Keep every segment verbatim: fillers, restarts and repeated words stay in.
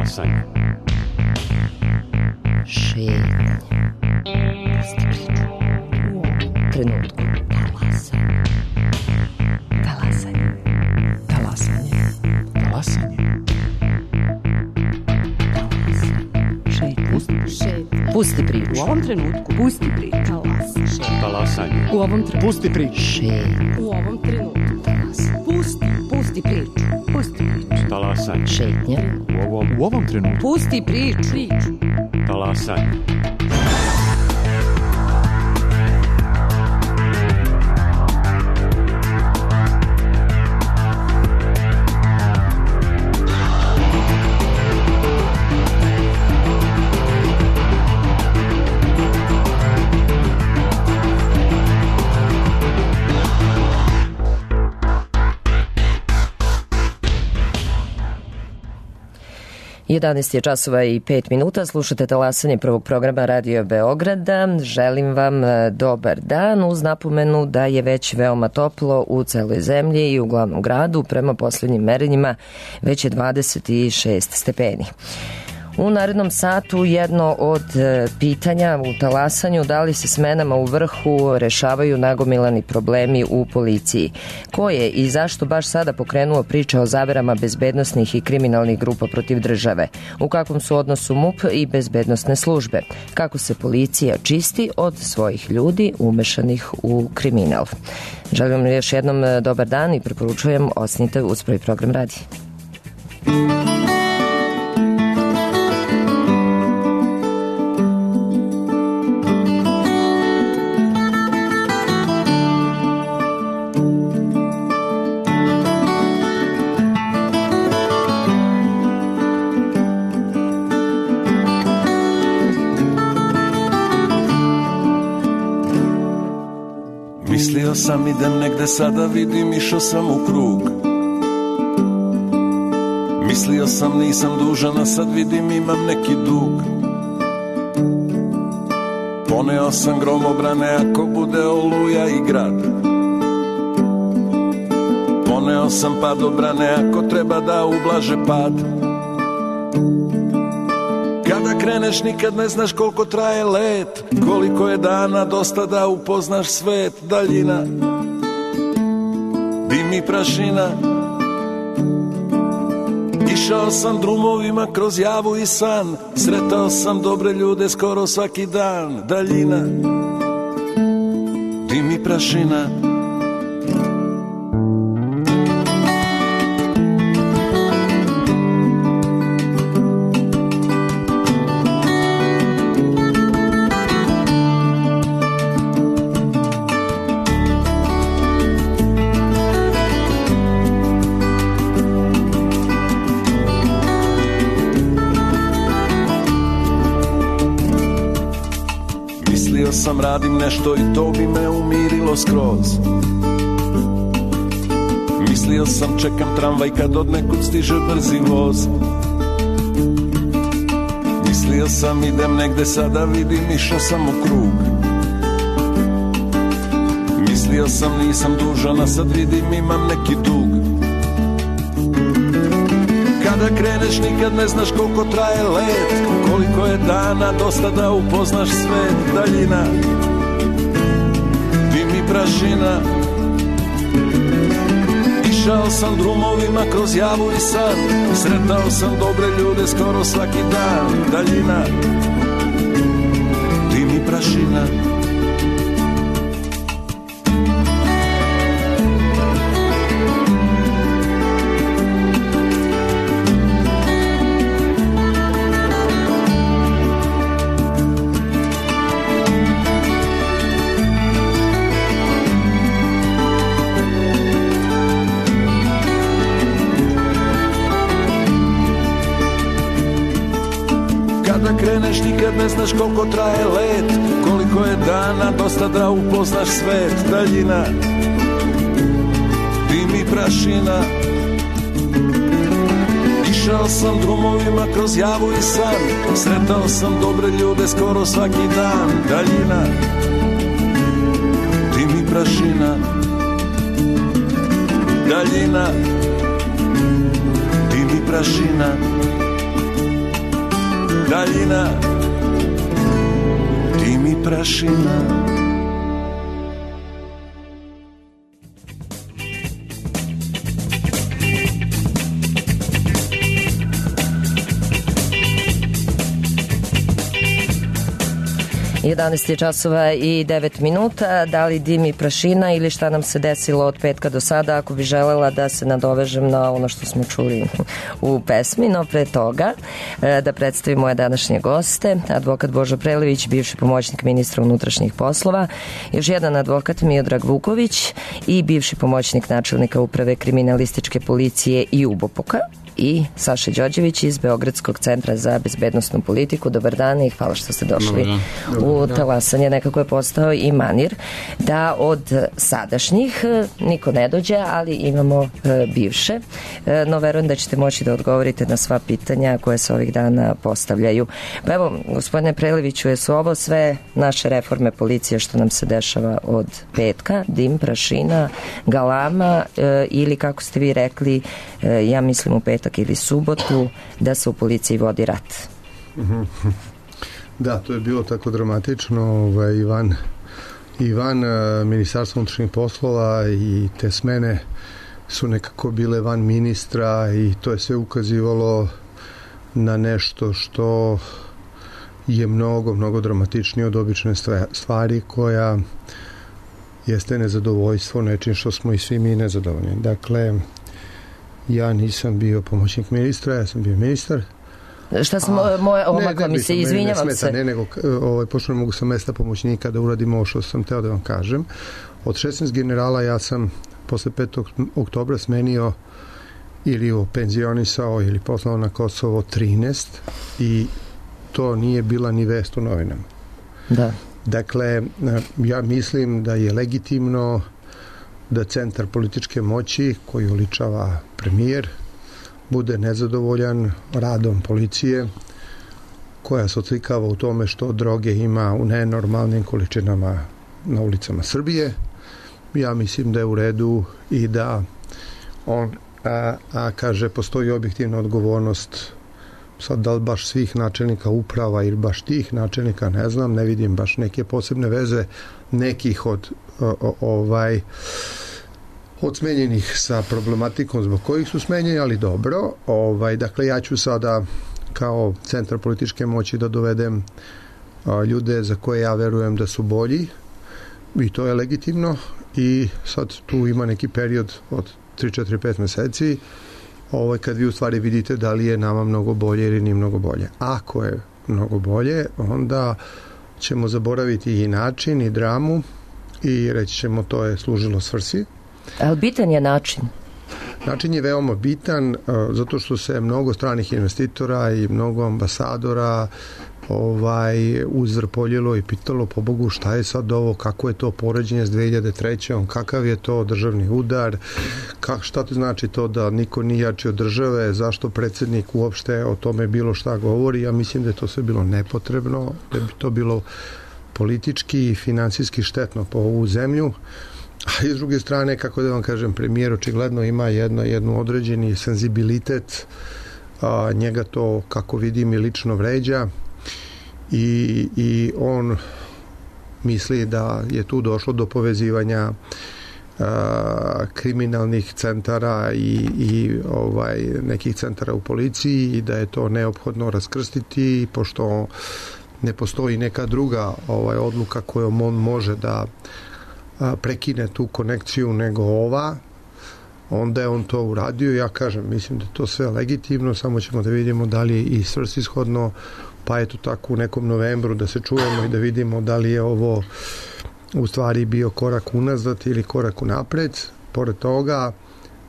Talasanje. Šetnje. Trenutku. Talasanje. Talasanje. Talasanje. Pusti priču. U ovom trenutku. Pusti priču. Talasanje. U ovom trenutku. Pusti priču. Šetnje. U ovom trenutku. Pusti. Pusti priču. Pusti priču. Talasanje. Šetnje. U ovom, u ovom trenutku. Pusti priču. Priču. Talasanje. jedanaest je časova i pet minuta, slušate Talasanje prvog programa Radio Beograda. Želim vam dobar dan uz napomenu da je već veoma toplo u celoj zemlji i u glavnom gradu. Prema poslednjim merenjima već je dvadeset šest stepeni. U narednom satu jedno od pitanja u Talasanju, da li se smenama u vrhu rešavaju nagomilani problemi u policiji. Ko je i zašto baš sada pokrenuo priče o zaverama bezbednosnih i kriminalnih grupa protiv države? U kakvom su odnosu M U P i bezbednosne službe? Kako se policija čisti od svojih ljudi umešanih u kriminal? Želim vam još jednom dobar dan i preporučujem ostanite uz prvi program radija. Mislio sam idem negde, sada vidim išao sam u krug. Mislio sam nisam dužan, a sad vidim imam neki dug. Poneo sam gromobrane ako bude oluja i grad. Poneo sam padobrane ako treba da ublaže pad. Kada kreneš nikad ne znaš koliko traje let, koliko je dana dosta da upoznaš svet. Daljina, dim i prašina. Išao sam drumovima kroz javu i san, sretao sam dobre ljude skoro svaki dan. Daljina, dim i prašina. Sam radim nešto i to bi me umirilo skroz. Mislio sam čekam tramvaj kad od nekud stiže brzi voz. Mislio sam idem negde, sada vidim išao sam u krug. Mislio sam nisam dužan, a sad vidim imam neki dug. Kada kreneš nikad ne znaš koliko traje let, koliko je dana dosta da upoznaš svet. Daljina, dim i prašina. Išao sam drumovima kroz javu i san, sretao sam dobre ljude skoro svaki dan. Daljina, dim i prašina. Kreneš nikad ne znaš koliko traje let, koliko je dana dosta da upoznaš svet. Daljina, dim i prašina. Išao sam drumovima kroz javu i san, sretao sam dobre ljude skoro svaki dan. Daljina, dim i prašina. Daljina, dim i prašina. daljina, dim i prašina. jedanaest je časova i devet minuta. Da li dim i prašina ili šta nam se desilo od petka do sada? Ako bi želela da se nadovežem na ono što smo čuli u pesmi, no pre toga da predstavim moje današnje goste. Advokat Božo Prelević, bivši pomoćnik ministra unutrašnjih poslova, još jedan advokat Miodrag Vuković i bivši pomoćnik načelnika uprave kriminalističke policije i U B O P-a, i Saša Đorđević iz Beogradskog centra za bezbednosnu politiku. Dobar dan i hvala što ste došli u talasanje. Nekako je postao i manir da od sadašnjih niko ne dođe, ali imamo e, bivše. E, no verujem da ćete moći da odgovorite na sva pitanja koje se ovih dana postavljaju. Pa evo, gospodine Preleviću, jesu ovo sve naše reforme policije što nam se dešava od petka, dim, prašina, galama e, ili kako ste vi rekli, e, ja mislim u petak ili subotu, da se u policiji vodi rat. Da, to je bilo tako dramatično. Ovaj, Ivan, Ivan Ministarstva unutrašnjih poslova i te smene su nekako bile van ministra i to je sve ukazivalo na nešto što je mnogo, mnogo dramatičnije od obične stvari, koja jeste nezadovoljstvo nečim što smo i svi mi nezadovoljni. Dakle, ja nisam bio pomoćnik ministra, ja sam bio ministar. Šta sam A, moje omakla mi se, izvinjavam ne, se. Ne, nego ovaj, pošto ne mogu sa mesta pomoćnika da uradim ovo što sam teo da vam kažem. Od šesnaest generala ja sam posle petog oktobra smenio ili openzionisao ili poslao na Kosovo trinaest i to nije bila ni vest u novinama. Da. Dakle, ja mislim da je legitimno da centar političke moći koji uličava premijer bude nezadovoljan radom policije koja se odslikava u tome što droge ima u nenormalnim količinama na ulicama Srbije. Ja mislim da je u redu i da on a, a kaže postoji objektivna odgovornost, sad da li baš svih načelnika uprava ili baš tih načelnika, ne znam, ne vidim baš neke posebne veze nekih od o, o, ovaj od smenjenih sa problematikom zbog kojih su smenjeni, ali dobro. Ovaj, dakle, ja ću sada kao centar političke moći da dovedem a, ljude za koje ja verujem da su bolji i to je legitimno i sad tu ima neki period od tri, četiri, pet meseci ovaj, kad vi u stvari vidite da li je nama mnogo bolje ili nije mnogo bolje. Ako je mnogo bolje, onda ćemo zaboraviti i način i dramu i reći ćemo to je služilo svrsi. Ali bitan je način. Način je veoma bitan uh, zato što se mnogo stranih investitora i mnogo ambasadora ovaj, uzvrpoljilo i pitalo po Bogu šta je sad ovo, kako je to poređenje s dve hiljade treće. Kakav je to državni udar, kak, šta to znači to da niko nije jači od države, zašto predsjednik uopšte o tome bilo šta govori. Ja mislim da je to sve bilo nepotrebno, da bi to bilo politički i finansijski štetno po ovu zemlju. A iz druge strane, kako da vam kažem, premijer očigledno ima jedno, jednu određeni senzibilitet, a, njega to, kako vidim, i lično vređa i, i on misli da je tu došlo do povezivanja a, kriminalnih centara i, i ovaj, nekih centara u policiji i da je to neophodno raskrstiti, pošto ne postoji neka druga ovaj, odluka kojom on može da prekine tu konekciju nego ova, onda je on to uradio. Ja kažem, mislim da je to sve legitimno, samo ćemo da vidimo da li je i svrsishodno, pa eto tako u nekom novembru da se čujemo i da vidimo da li je ovo u stvari bio korak unazad ili korak unapred. Pored toga,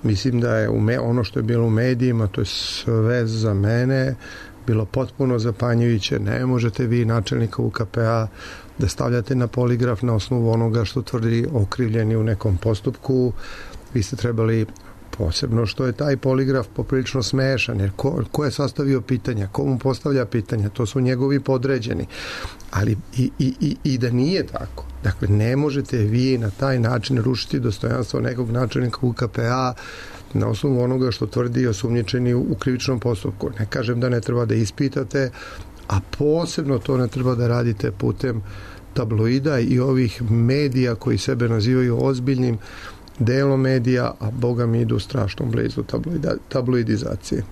mislim da je me, ono što je bilo u medijima, to je sve za mene bilo potpuno zapanjujuće. Ne možete vi načelnika U K P A da stavljate na poligraf na osnovu onoga što tvrdi okrivljeni u nekom postupku. Vi ste trebali, posebno što je taj poligraf poprilično smešan, jer ko, ko je sastavio pitanja, ko mu postavlja pitanja, to su njegovi podređeni. Ali i, i, i, i da nije tako. Dakle, ne možete vi na taj način rušiti dostojanstvo nekog načelnika U K P A na osnovu onoga što tvrdi osumnjičeni u krivičnom postupku. Ne kažem da ne treba da ispitate, a posebno to ne treba da radite putem tabloida i ovih medija koji sebe nazivaju ozbiljnim delom medija, a boga mi idu strašno blizu tabloida, tabloidizacije.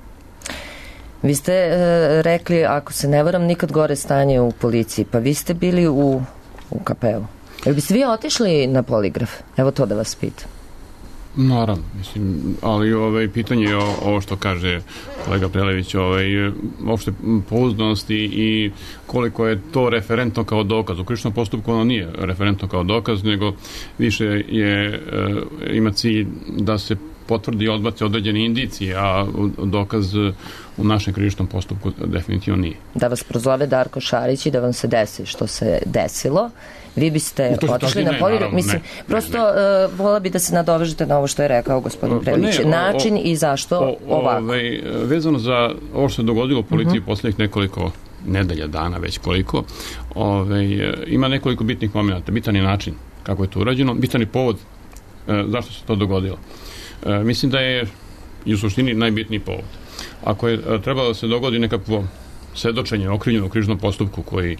Vi ste e, rekli, ako se ne varam, nikad gore stanje u policiji, pa vi ste bili u, u K P-u. Jel biste vi otišli na poligraf? Evo to da vas pitam. Naravno, mislim, ali ovaj, pitanje je ovo što kaže kolega Prelević, ovaj, uopšte pouzdanosti i koliko je to referentno kao dokaz. U krivičnom postupku ono nije referentno kao dokaz, nego više je, ima cilj da se potvrdi i odbace određene indicije, a dokaz u našem krivičnom postupku definitivno nije. Da vas prozove Darko Šarić i da vam se desi što se desilo, vi biste otišli na poligraf. Mislim, ne, prosto ne, ne. Uh, vola bi da se nadovežete na ovo što je rekao gospodin Prelić. Način o, i zašto o, ovako? Ovaj, vezano za ovo što se dogodilo u policiji uh-huh. posljednjih nekoliko nedelja, dana, već koliko, ovaj, ima nekoliko bitnih momenta. Bitan je način kako je to urađeno, bitan je povod uh, zašto se to dogodilo. Uh, mislim da je i u suštini najbitniji povod. Ako je uh, trebalo da se dogodi nekakvo svedočenje okrivljenog u krivičnom postupku koji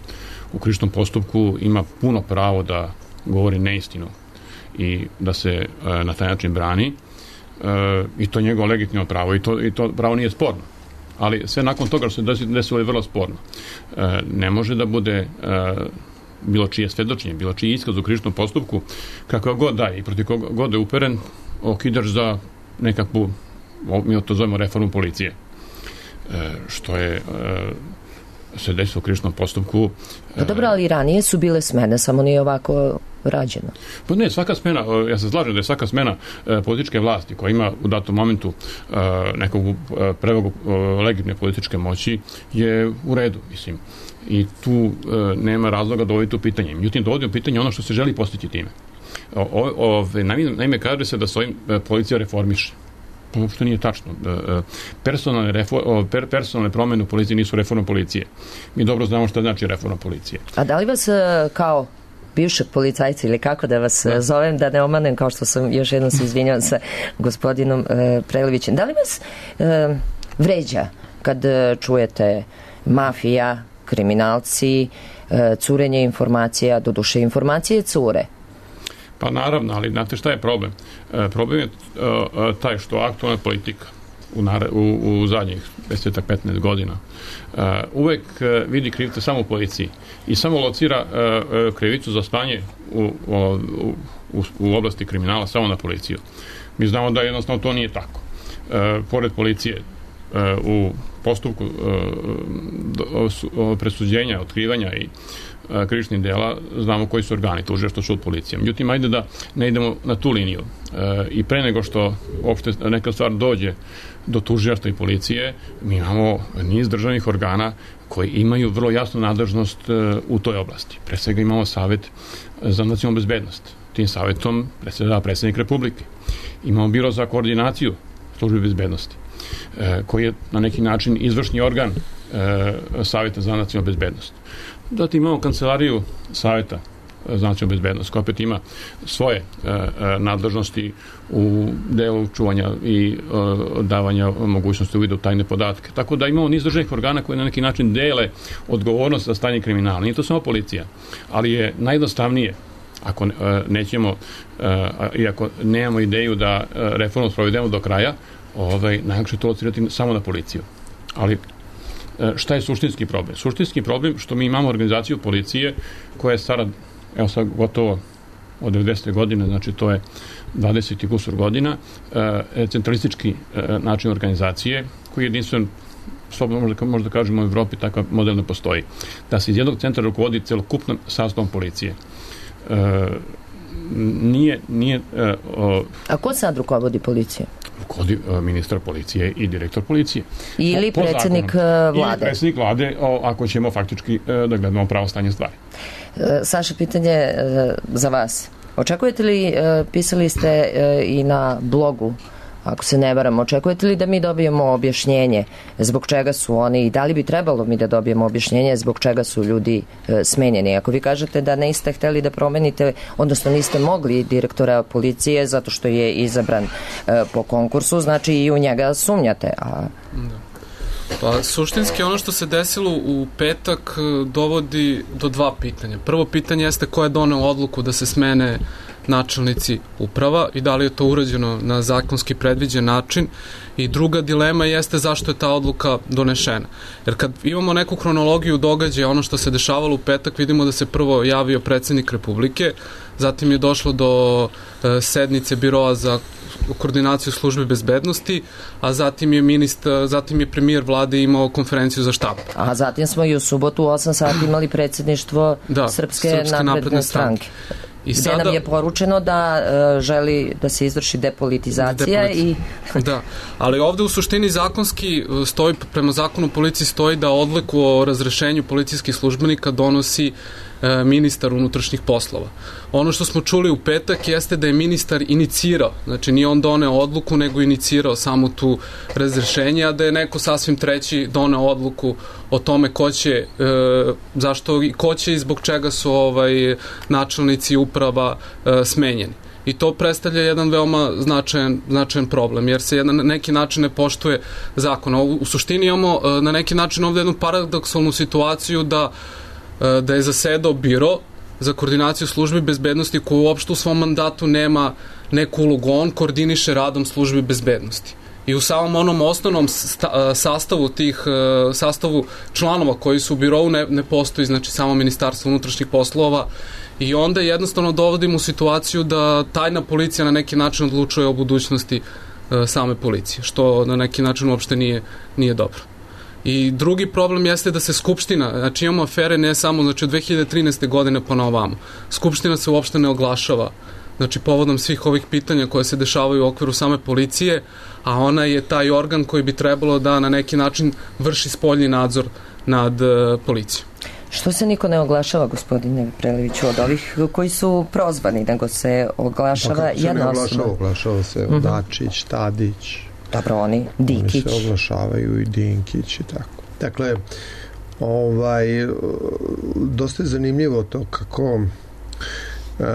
u krivičnom postupku ima puno pravo da govori neistinu i da se e, na taj način brani e, i to je njegovo legitimno pravo i to, i to pravo nije sporno. Ali sve nakon toga što se desilo je vrlo sporno. E, ne može da bude e, bilo čije svedočenje, bilo čiji iskaz u krivičnom postupku, kakav god daje i protiv koga god je uperen, okidaš za nekakvu, mi to zovemo reformu policije. E, što je... E, se desilo u krivičnom postupku. Pa dobro, ali ranije su bile smene, samo nije ovako rađeno. Pa ne, svaka smena, ja se slažem da je svaka smena e, političke vlasti koja ima u datom momentu e, nekog e, prevagu e, legitimne političke moći je u redu, mislim. I tu e, nema razloga dovoditi u pitanje. Međutim, dovodi u pitanje ono što se želi postići time. O, o, o, naime, kaže se da s ovim e, policija reformiše. Pa uopšte nije tačno. Personalne, refor, per, personalne promjene u policiji nisu reforma policije. Mi dobro znamo što znači reforma policije. A da li vas kao bivšeg policajca ili kako da vas da. zovem, da ne omanem, kao što sam još jednom se izvinjala sa gospodinom e, Prelevićem, da li vas e, vređa kad čujete mafija, kriminalci, e, curenje informacija, doduše informacije cure? Pa naravno, ali znate šta je problem? E, problem je e, taj što aktualna politika u, u, u zadnjih deset petnaest godina e, uvek e, vidi krivce samo u policiji i samo locira e, e, krivicu za stanje u, u, u, u oblasti kriminala samo na policiju. Mi znamo da jednostavno to nije tako. E, pored policije e, u postupku e, do, presuđenja, otkrivanja i krivičnih dela, znamo koji su organi, tužilaštvo, sud, policija. Međutim, ajde da ne idemo na tu liniju. E, I pre nego što uopšte neka stvar dođe do tužilaštva i policije, mi imamo niz državnih organa koji imaju vrlo jasnu nadležnost e, u toj oblasti. Pre svega imamo Savet za nacionalnu bezbednost. Tim savetom predsedava predsjednik Republike. Imamo Biro za koordinaciju službe bezbednosti, e, koji je na neki način izvršni organ e, Saveta za nacionalnu bezbednost. Zatim imamo kancelariju Saveta za nacionalnu bezbednost, koja opet ima svoje e, e, nadležnosti u delu čuvanja i e, davanja mogućnosti uvida u tajne podatke. Tako da imamo niz državnih organa koji na neki način dele odgovornost za stanje kriminala. Nije to samo policija, ali je najjednostavnije, ako e, nećemo, e, i ako nemamo ideju da e, reformu sprovedemo do kraja, ovaj, najlakše to locirati samo na policiju. Ali šta je suštinski problem? Suštinski problem što mi imamo organizaciju policije koja je stara, evo sad gotovo od devedesete godine, znači to je dvadeset i kusur godina, e, centralistički e, način organizacije koji je jedinstven, slobodno možda, možda kažemo u Evropi, takav model ne postoji. Da se iz jednog centra rukovodi celokupnom sastavom policije. E, nije, nije e, o, A ko sad rukovodi policije? Rukovodi e, ministar policije i direktor policije. Ili po, po predsjednik zakonom. Vlade. Ili predsjednik vlade, o, ako ćemo faktički e, da gledamo pravo stanje stvari. E, Saša, pitanje e, za vas. Očekujete li, e, pisali ste e, i na blogu, ako se ne varam, očekujete li da mi dobijemo objašnjenje zbog čega su oni i da li bi trebalo mi da dobijemo objašnjenje zbog čega su ljudi e, smenjeni? Ako vi kažete da niste hteli da promenite, odnosno niste mogli direktora policije zato što je izabran e, po konkursu, znači i u njega sumnjate. A... Pa suštinski ono što se desilo u petak dovodi do dva pitanja. Prvo pitanje jeste ko je doneo odluku da se smene načelnici uprava i da li je to urađeno na zakonski predviđen način, i druga dilema jeste zašto je ta odluka donešena. Jer kad imamo neku hronologiju događaja, ono što se dešavalo u petak, vidimo da se prvo javio predsednik Republike, zatim je došlo do e, sednice biroa za koordinaciju službe bezbednosti, a zatim je ministar, zatim je premijer vlade imao konferenciju za štab. A zatim smo i u subotu u osam sati imali predsedništvo da, Srpske, Srpske napredne, napredne stranke. I gde sada, nam je poručeno da uh, želi da se izvrši depolitizacija. Depoliti... i da, ali ovde u suštini zakonski stoji, prema zakonu o policiji stoji da odluku o razrešenju policijskih službenika donosi e, ministar unutrašnjih poslova. Ono što smo čuli u petak jeste da je ministar inicirao, znači nije on doneo odluku, nego inicirao samo tu razrešenje, a da je neko sasvim treći doneo odluku o tome ko će, e, zašto, ko će i zbog čega su ovaj načelnici uprava e, smenjeni. I to predstavlja jedan veoma značajan, značajan problem, jer se na neki način ne poštuje zakon. U, u suštini imamo na neki način ovde jednu paradoksalnu situaciju da, da je zasedao biro za koordinaciju službi bezbednosti koji uopšte u svom mandatu nema neku ulogu. On koordiniše radom službi bezbednosti. I u samom onom osnovnom sta, sastavu tih sastavu članova koji su u birovu ne, ne postoji, znači samo Ministarstvo unutrašnjih poslova, i onda jednostavno dovodimo u situaciju da tajna policija na neki način odlučuje o budućnosti e, same policije, što na neki način uopšte nije, nije dobro. I drugi problem jeste da se Skupština, znači imamo afere ne samo, znači od dve hiljade trinaeste godine pa na ovamo, Skupština se uopšte ne oglašava, znači povodom svih ovih pitanja koje se dešavaju u okviru same policije, a ona je taj organ koji bi trebalo da na neki način vrši spoljni nadzor nad e, policijom. Što se niko ne oglašava, gospodine Preleviću, od ovih koji su prozvani, nego se oglašava jedna osoba? Se ne oglašava, oglašava se uh-huh. Dačić, Tadić. Dobro, oni, Dinkić. Oni se oglašavaju i Dinkić i tako. Dakle, ovaj, dosta je zanimljivo to kako Uh,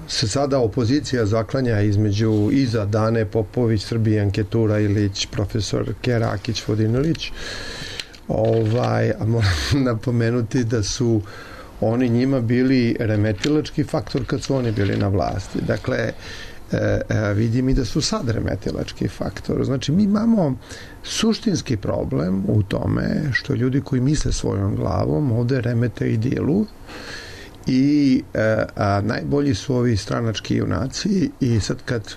se sada opozicija zaklanja između iza Dane Popović, Srbijanke Turajlić, profesor Kerakić, Vodinilić. Ovaj, a moram napomenuti da su oni njima bili remetilački faktor kad su oni bili na vlasti. Dakle, e, e, vidim i da su sad remetilački faktor. Znači, mi imamo suštinski problem u tome što ljudi koji misle svojom glavom ovde remete i dilu i e, a, najbolji su ovi stranački junaci, i sad kad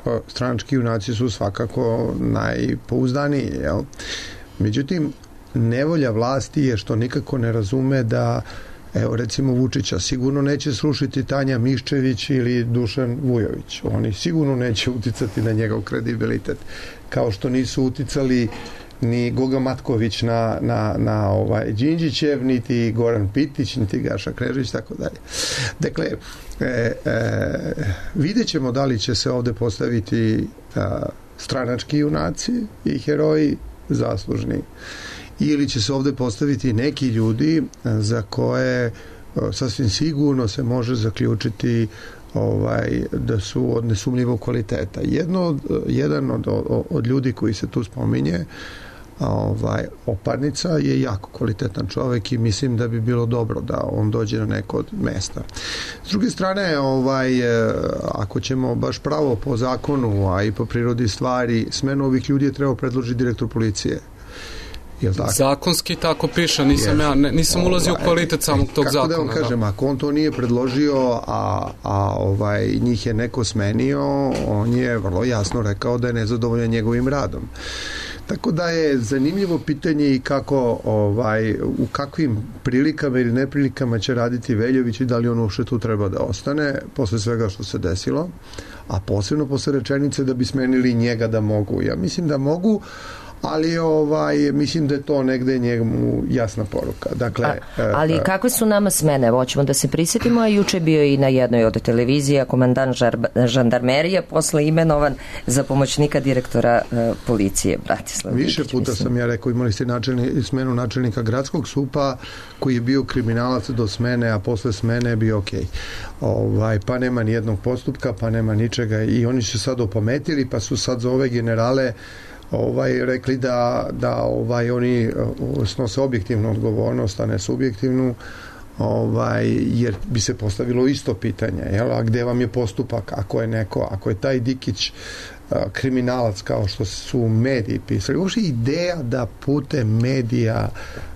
o, stranački junaci su svakako najpouzdaniji, jel? Međutim, nevolja vlasti je što nikako ne razume da, evo recimo Vučića sigurno neće srušiti Tanja Miščević ili Dušan Vujović. Oni sigurno neće uticati na njegov kredibilitet. Kao što nisu uticali ni Goga Matković na, na, na ovaj Đinđićev, niti Goran Pitić, niti Gaša Knežević, tako dalje. Dakle, e, e, vidjet ćemo da li će se ovde postaviti a, stranački junaci i heroji zaslužni, ili će se ovde postaviti neki ljudi za koje sasvim sigurno se može zaključiti ovaj, da su od nesumnjivog kvaliteta. Jedno, jedan od, od, od ljudi koji se tu spominje, ovaj, Oparnica, je jako kvalitetan čovek i mislim da bi bilo dobro da on dođe na neko od mesta. S druge strane, ovaj, ako ćemo baš pravo po zakonu, a i po prirodi stvari, smenu ovih ljudi je trebao predložiti direktor policije. Zakonski tako piše, nisam, ja, ne, nisam ulazio u kvalitet samog tog kako zakona. Kako da vam kažem, da. Ako on to nije predložio, a, a ovaj, njih je neko smenio, on je vrlo jasno rekao da je nezadovoljan njegovim radom. Tako da je zanimljivo pitanje i kako, ovaj, u kakvim prilikama ili neprilikama će raditi Veljović i da li on uopšte tu treba da ostane posle svega što se desilo, a posebno posle rečenice da bi smenili njega da mogu. Ja mislim da mogu, ali ovaj, mislim da je to negde njemu jasna poruka. Dakle, a, ali a, kakve su nama smene? Hoćemo da se prisjetimo, a juče bio i na jednoj od televizija komandant žandarmerije posle imenovan za pomoćnika direktora uh, policije Bratislav. Više Dikić, puta mislim. sam ja rekao, imali ste načelni, smenu načelnika gradskog supa koji je bio kriminalac do smene, a posle smene je bio okej. Ovaj, pa nema ni jednog postupka, pa nema ničega, i oni su sad opametili, pa su sad za ove generale ovaj, rekli da, da ovaj, oni snose objektivnu odgovornost, a ne subjektivnu, ovaj, jer bi se postavilo isto pitanje, jel? A gde vam je postupak ako je neko, ako je taj Dikić a, kriminalac kao što su mediji pisali, uopšte ideja da putem medija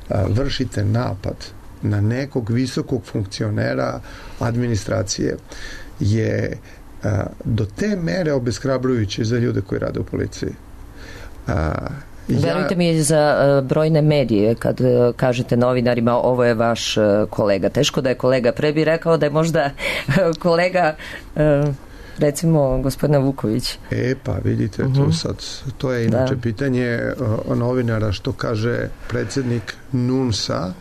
a, vršite napad na nekog visokog funkcionera administracije je a, do te mere obeshrabrujuće za ljude koji rade u policiji. A, Verujte mi za uh, brojne medije kad uh, kažete novinarima ovo je vaš uh, kolega. Teško da je kolega. Pre bi rekao da je možda uh, kolega uh, recimo gospodina Vuković. E pa vidite, uh-huh. to, sad, to je inače da. pitanje uh, novinara što kaže predsjednik NUNS-a.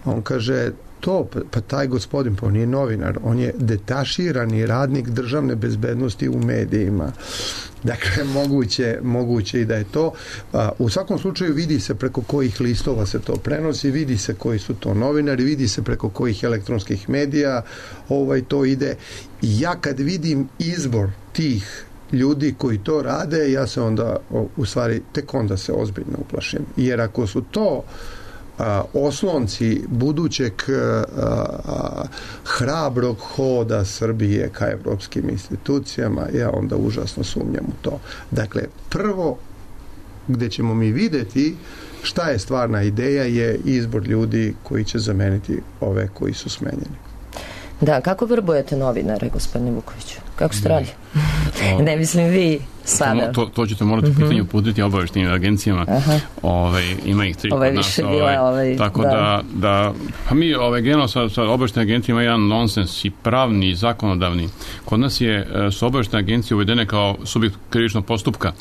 On kaže to, pa taj gospodin, pa on je novinar, on je detaširani radnik državne bezbednosti u medijima. Dakle, moguće, moguće i da je to. U svakom slučaju vidi se preko kojih listova se to prenosi, vidi se koji su to novinari, vidi se preko kojih elektronskih medija ovaj, to ide. I ja kad vidim izbor tih ljudi koji to rade, ja se onda, u stvari, tek onda se ozbiljno uplašim. Jer ako su to a, oslonci budućeg a, a, hrabrog hoda Srbije ka evropskim institucijama, ja onda užasno sumnjam u to. Dakle, prvo gde ćemo mi videti šta je stvarna ideja je izbor ljudi koji će zameniti ove koji su smenjeni. Da, kako vrbujete novinare, gospodine Vukoviću? Kako ste radi? Ne mislim vi sada. To, to ćete morati uh-huh. pitanje uputiti obaveštenim agencijama. Ove, ima ih tri kod nas. Ove, ovaj, tako da, da, da pa mi ove, generalno sa, sa obaveštenim agencijama jedan nonsens i pravni i zakonodavni. Kod nas je su obaveštene agencije uvedene kao subjekt krivičnog postupka,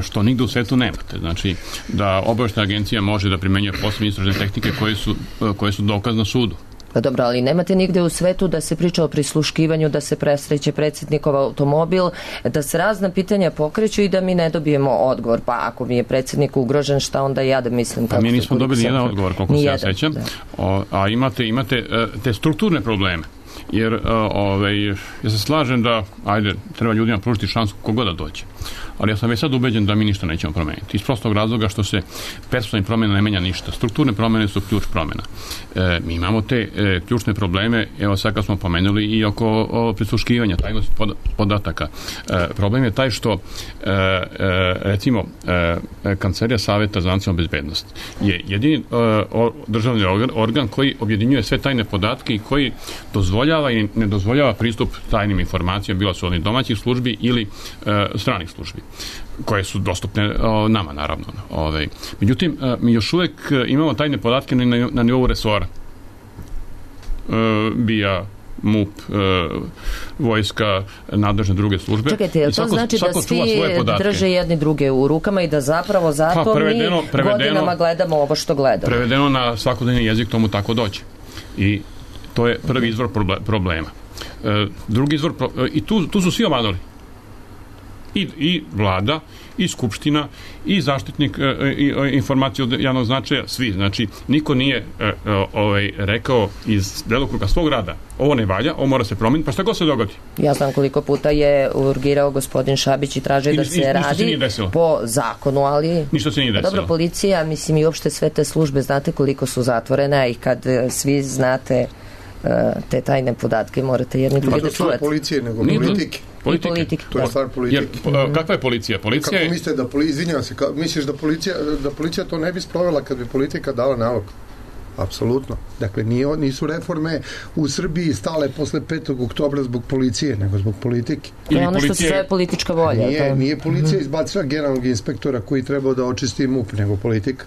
što nigde u svetu nemate. Znači, da obaveštena agencija može da primenjuje posebne istražne tehnike koje su, koje su dokaz na sudu. Pa dobro, ali nemate nigde u svetu da se priča o prisluškivanju, da se presreće predsjednikov automobil, da se razna pitanja pokreću i da mi ne dobijemo odgovor. Pa ako mi je predsjednik ugrožen, šta onda ja da mislim? Pa mi nismo dobili jedan odgovor, koliko se ja sećam. A imate, imate te strukturne probleme. Jer ovaj, ja se slažem da, ajde, treba ljudima pružiti šansu kogod da dođe. Ali ja sam već sad ubeđen da mi ništa nećemo promeniti. Iz prostog razloga što se personalnih promjena ne menja ništa. Strukturne promjene su ključ promjena. E, mi imamo te e, ključne probleme, evo sad kad smo pomenuli i oko o, prisluškivanja, tajnosti pod, podataka. E, problem je taj što e, e, recimo e, Kancelarija Saveta za nacionalnu bezbednost je jedini e, o, državni organ, organ koji objedinjuje sve tajne podatke i koji dozvoljava i ne dozvoljava pristup tajnim informacijama, bilo su oni domaćih službi ili e, stranih službi, koje su dostupne o, nama, naravno. Ove. Međutim, e, mi još uvek imamo tajne podatke na, na, na nivou resora. E, B I A, M U P, e, vojska, nadležne druge službe. Čekajte, je li to znači da svi drže jedni druge u rukama i da zapravo zato pa, prevedeno, mi prevedeno, godinama gledamo ovo što gledamo? Prevedeno na svakodnevni jezik tomu tako dođe. I to je prvi izvor problema. E, drugi izvor, pro, e, i tu, tu su svi omadali. I, i vlada, i skupština, i zaštitnik e, i, e, informacije od javnog značaja, svi. Znači, niko nije e, e, ovaj, rekao iz delokruga svog rada, ovo ne valja, ovo mora se promeniti, pa šta god se dogodi. Ja znam koliko puta je urgirao gospodin Šabić i tražio da se radi po zakonu, ali... Ništa se nije desilo. Dobro, policija, mislim i uopšte sve te službe, znate koliko su zatvorene i kad svi znate te tajne podatke, morate jedni drugi da čuvate. To je policije, nego politike. Politike. politike. To je stvar politike. Jer, kakva je policija? Policija Kako je... mislite da policija, izvinjam se, ka, misliš da policija, da policija to ne bi sprovela kad bi politika dala nalog? Apsolutno. Dakle, nije, nisu reforme u Srbiji stale posle petog oktobra zbog policije, nego zbog politike. To je ono policije... što se zove politička volja. Nije, to... nije policija izbacila generalnog inspektora koji trebao da očisti M U P, nego politika.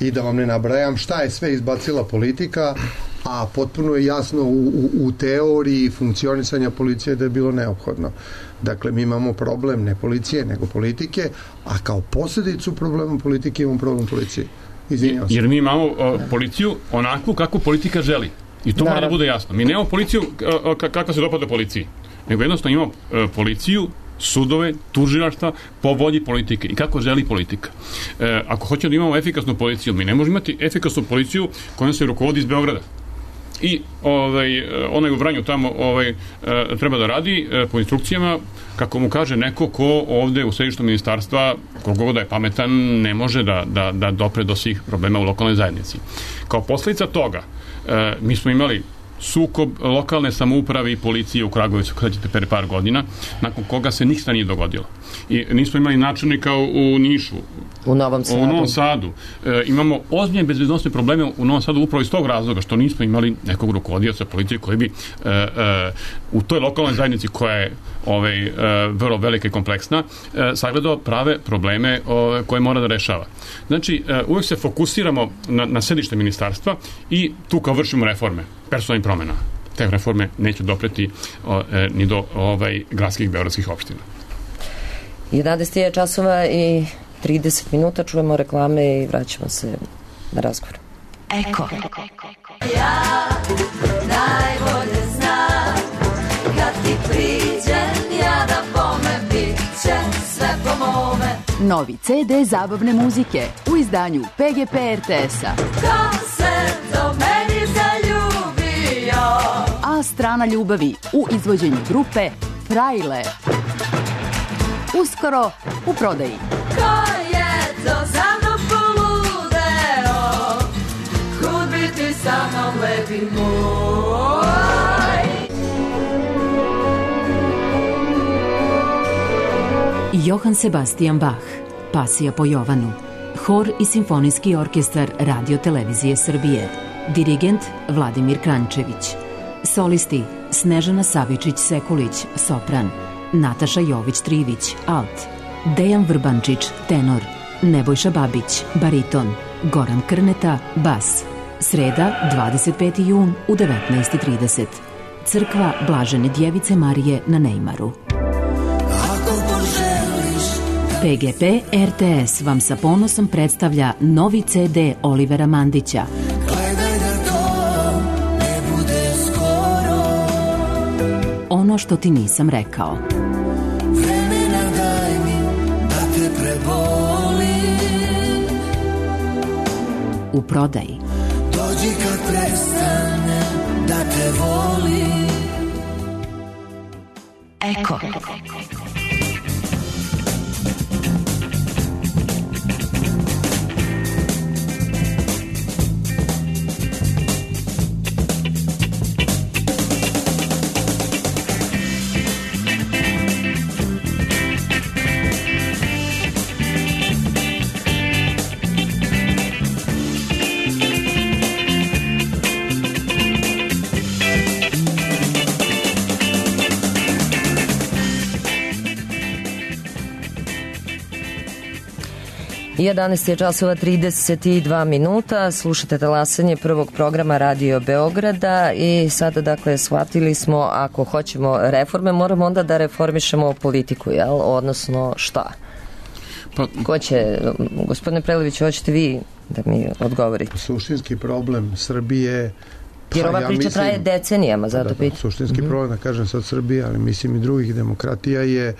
I da vam ne nabrajam šta je sve izbacila politika, a potpuno je jasno u, u, u teoriji funkcionisanja policije da je bilo neophodno. Dakle, mi imamo problem ne policije, nego politike, a kao posljedicu problema politike imamo problem policije. Izvinjavam se. Jer mi imamo uh, policiju onakvu kakvu politika želi. I to mora da bude jasno. Mi nemamo policiju uh, kakva se dopada policiji. Nego jednostavno imamo uh, policiju, sudove, tužilaštva po volji politike i kako želi politika. E, ako hoćemo da imamo efikasnu policiju, mi ne možemo imati efikasnu policiju kojom se rukovodi iz Beograda. i ovaj, onaj u Vranju tamo ovaj, treba da radi po instrukcijama kako mu kaže neko ko ovde u središtu ministarstva, koliko god da je pametan, ne može da, da, da dopre do svih problema u lokalnoj zajednici. Kao posljedica toga, mi smo imali sukob lokalne samouprave i policije u Kragujevcu, kada ćete pre par godina, nakon koga se ništa nije dogodilo. I nismo imali načelnika u Nišu, u Novom Sadu. U Novom Sadu. E, imamo ozbiljne bezbednosne probleme u Novom Sadu upravo iz tog razloga što nismo imali nekog rukovodioca policije koji bi e, e, u toj lokalnoj zajednici koja je ovaj, e, vrlo velika i kompleksna e, sagledao prave probleme o, koje mora da rešava. Znači, e, uvek se fokusiramo na, na sedište ministarstva i tu kao vršimo reforme, personalnih promjena. Te reforme neće dopreti o, e, ni do ovaj, gradskih beogradskih opština. jedanaest je časova i trideset minuta, čujemo reklame i vraćamo se na razgovor. Eko. Ja najbolje znam kad ti priđem ja da bome bit će sve po mome. Novi ce de zabavne muzike u izdanju pe ge pe er te es-a. Ko se do meni zaljubio? A strana ljubavi u izvođenju grupe Frajle. Uskoro u prodaji. Ko je to za mnom poludeo? Kud bi ti sa mnom lepi moj? Johann Sebastian Bach, Pasija po Jovanu, hor i simfonijski orkestar Radio Televizije Srbije, dirigent Vladimir Krančević, solisti Snežana Savičić-Sekulić, sopran, Nataša Jović-Trivić, alt, Dejan Vrbančić, tenor, Nebojša Babić, bariton, Goran Krneta, bas. Sreda, dvadeset peti jun u devetnaest i trideset. Crkva Blažene Djevice Marije na Nejmaru. pe ge pe er te es vam sa ponosom predstavlja novi ce de Olivera Mandića. Ono što ti nisam rekao. Vremena daj mi da te prebolim. U prodaji. Dođi kad prestane da te volim. Eko. jedanaest je časova trideset dva minuta, slušate talasanje prvog programa Radio Beograda i sada dakle shvatili smo ako hoćemo reforme moramo onda da reformišemo politiku, jel? Odnosno šta? Pa, ko će, gospodine Prelević, hoćete vi da mi odgovorite? Suštinski problem Srbije, jer ova priča ja mislim, traje decenijama, zato da, da, suštinski mm-hmm. problem, da kažem sad Srbije, ali mislim i drugih demokratija je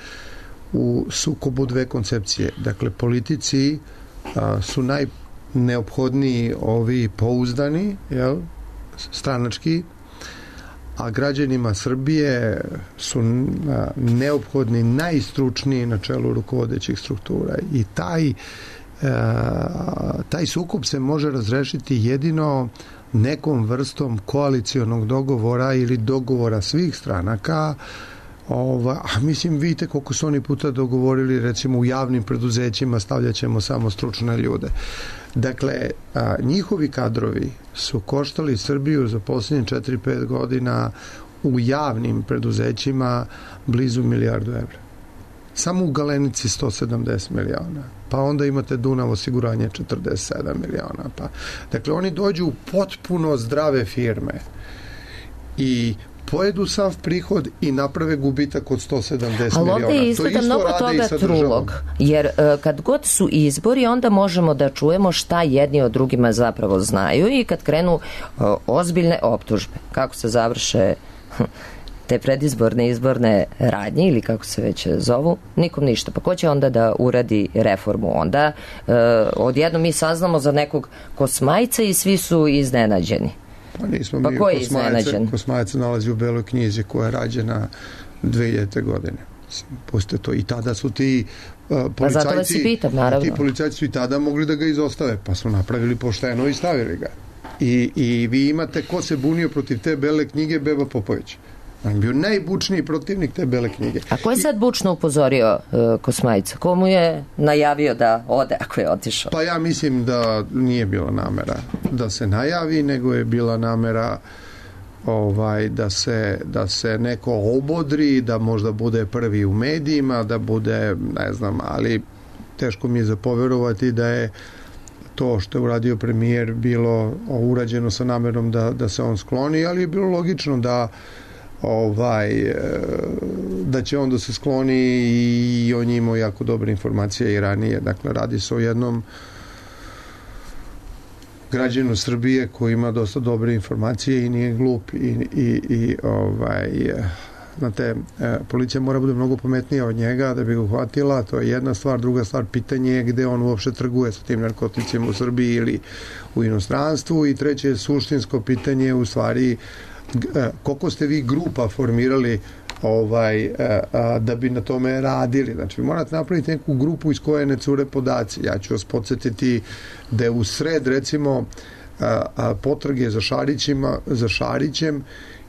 u sukobu dve koncepcije. Dakle, politici a, su najneophodniji ovi pouzdani, jel, stranački, a građanima Srbije su a, neophodni najstručniji na čelu rukovodećih struktura. I taj, a, taj sukob se može razrešiti jedino nekom vrstom koalicionog dogovora ili dogovora svih stranaka. Ova, a mislim, vidite koliko su oni puta dogovorili, recimo u javnim preduzećima stavljat ćemo samo stručne ljude. Dakle, a, njihovi kadrovi su koštali Srbiju za posljednje četiri pet godina u javnim preduzećima blizu milijardu evra. Samo u Galenici sto sedamdeset miliona. Pa onda imate Dunav osiguranje četrdeset sedam miliona. Pa. Dakle, oni dođu u potpuno zdrave firme i pojedu sav prihod i naprave gubitak od sto sedamdeset miliona. Ali ovdje izgleda mnogo toga trulog, jer uh, kad god su izbori, onda možemo da čujemo šta jedni od drugima zapravo znaju i kad krenu uh, ozbiljne optužbe. Kako se završe te predizborne izborne radnje ili kako se već zovu, nikom ništa. Pa ko će onda da uradi reformu? Onda uh, odjedno mi saznamo za nekog kosmajca i svi su iznenađeni. Pa nismo pa mi, ko je Kosmajac, iznenađen? Kosmajac nalazi u Beloj knjizi koja je rađena dve hiljadite godine. Pustite to. I tada su ti uh, policajci... Pa zato vas i pitam, naravno. Ti policajci su i tada mogli da ga izostave, pa su napravili pošteno i stavili ga. I, i vi imate ko se bunio protiv te Bele knjige, Beba Popović. On je bio najbučniji protivnik te Bele knjige. A ko je sad bučno upozorio uh, Kosmajca? Ko mu je najavio da ode ako je otišao? Pa ja mislim da nije bila namera da se najavi, nego je bila namera ovaj, da se, da se neko obodri, da možda bude prvi u medijima, da bude, ne znam, ali teško mi je zapoverovati da je to što je uradio premijer bilo urađeno sa namerom da, da se on skloni, ali je bilo logično da ovaj da će on da se skloni i on je imao jako dobre informacije i ranije. Dakle, radi se o jednom građanu Srbije koji ima dosta dobre informacije i nije glup i, i, i ovaj znate, policija mora bude mnogo pametnija od njega da bi ga uhvatila, to je jedna stvar. Druga stvar, pitanje je gde on uopšte trguje sa tim narkoticima u Srbiji ili u inostranstvu, i treće suštinsko pitanje u stvari koliko ste vi grupa formirali ovaj, da bi na tome radili. Znači, vi morate napraviti neku grupu iz koje ne cure podaci. Ja ću vas podsjetiti da je u sred, recimo, potrage za Šarićima, za Šarićem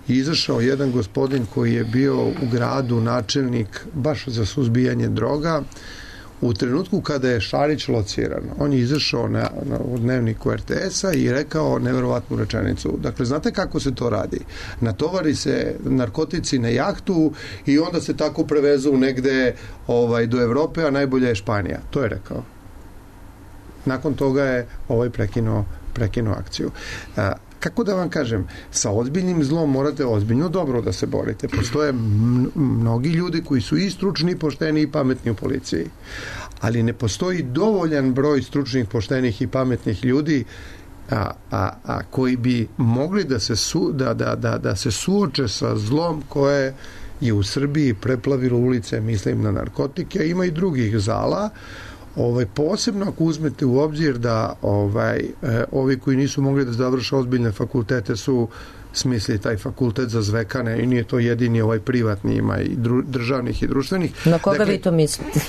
izašao jedan gospodin koji je bio u gradu načelnik baš za suzbijanje droga u trenutku kada je Šarić lociran. On je izašao na, na u dnevniku er te esa i rekao neverovatnu rečenicu. Dakle, znate kako se to radi? Natovari se narkotici na jahtu i onda se tako prevezu negde ovaj, do Evrope, a najbolja je Španija. To je rekao. Nakon toga je ovaj prekinuo, prekinuo akciju. A, kako da vam kažem, sa ozbiljnim zlom morate ozbiljno dobro da se borite. Postoje mnogi ljudi koji su i stručni, pošteni i pametni u policiji. Ali ne postoji dovoljan broj stručnih, poštenih i pametnih ljudi a, a, a koji bi mogli da se, su, da, da, da, da se suoče sa zlom koje je u Srbiji preplavilo ulice, mislim na narkotike. Ima i drugih zala. Ovaj, posebno ako uzmete u obzir da ovaj, eh, ovi koji nisu mogli da završe ozbiljne fakultete su smisli taj fakultet za zvekane i nije to jedini ovaj privatni, ima i dru, državnih i društvenih. Na koga dakle, vi to mislite?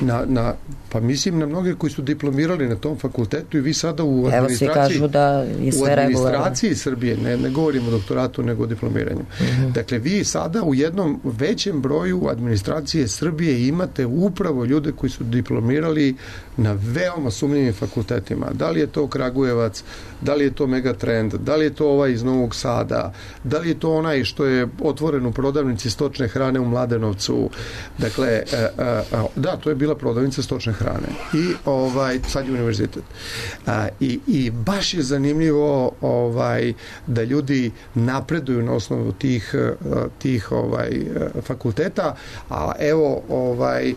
Na, na, pa mislim na mnoge koji su diplomirali na tom fakultetu i vi sada u administraciji, evo svi kažu da je sve u administraciji regularno. Srbije, ne, ne govorimo o doktoratu nego o diplomiranju. Mm-hmm. Dakle, vi sada u jednom većem broju administracije Srbije imate upravo ljude koji su diplomirali na veoma sumnjivim fakultetima. Da li je to Kragujevac, da li je to Megatrend, da li je to ovaj iz Novog Sada, da li je to onaj što je otvoren u prodavnici stočne hrane u Mladenovcu. Dakle, da, to je bila prodavnica stočne hrane i ovaj sad je univerzitet. A, i, i baš je zanimljivo ovaj da ljudi napreduju na osnovu tih tih ovaj fakulteta, a evo ovaj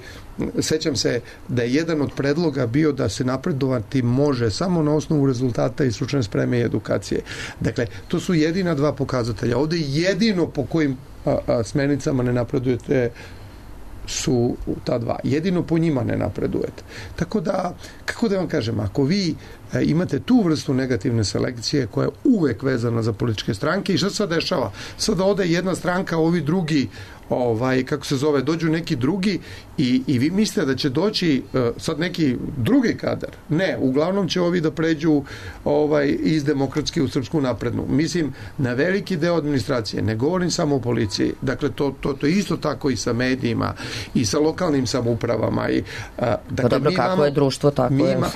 sećam se da je jedan od predloga bio da se napredovati može samo na osnovu rezultata i stručne spreme i edukacije. Dakle, to su jedina dva pokazatelja. Ovde jedino po kojim a, a, smernicama ne napredujete su ta dva. Jedino po njima ne napredujete. Tako da, kako da vam kažem, ako vi e, imate tu vrstu negativne selekcije koja je uvek vezana za političke stranke, i šta se sad dešava? Sada ode jedna stranka, ovi drugi ovaj, kako se zove, dođu neki drugi i, i vi mislite da će doći uh, sad neki drugi kadar. Ne, uglavnom će ovi da pređu ovaj, iz demokratske u Srpsku naprednu. Mislim, na veliki deo administracije, ne govorim samo o policiji, dakle, to, to, to je isto tako i sa medijima i sa lokalnim samoupravama. I, uh, dakle, pa dobro, kako imamo, je društvo, tako je. Ima,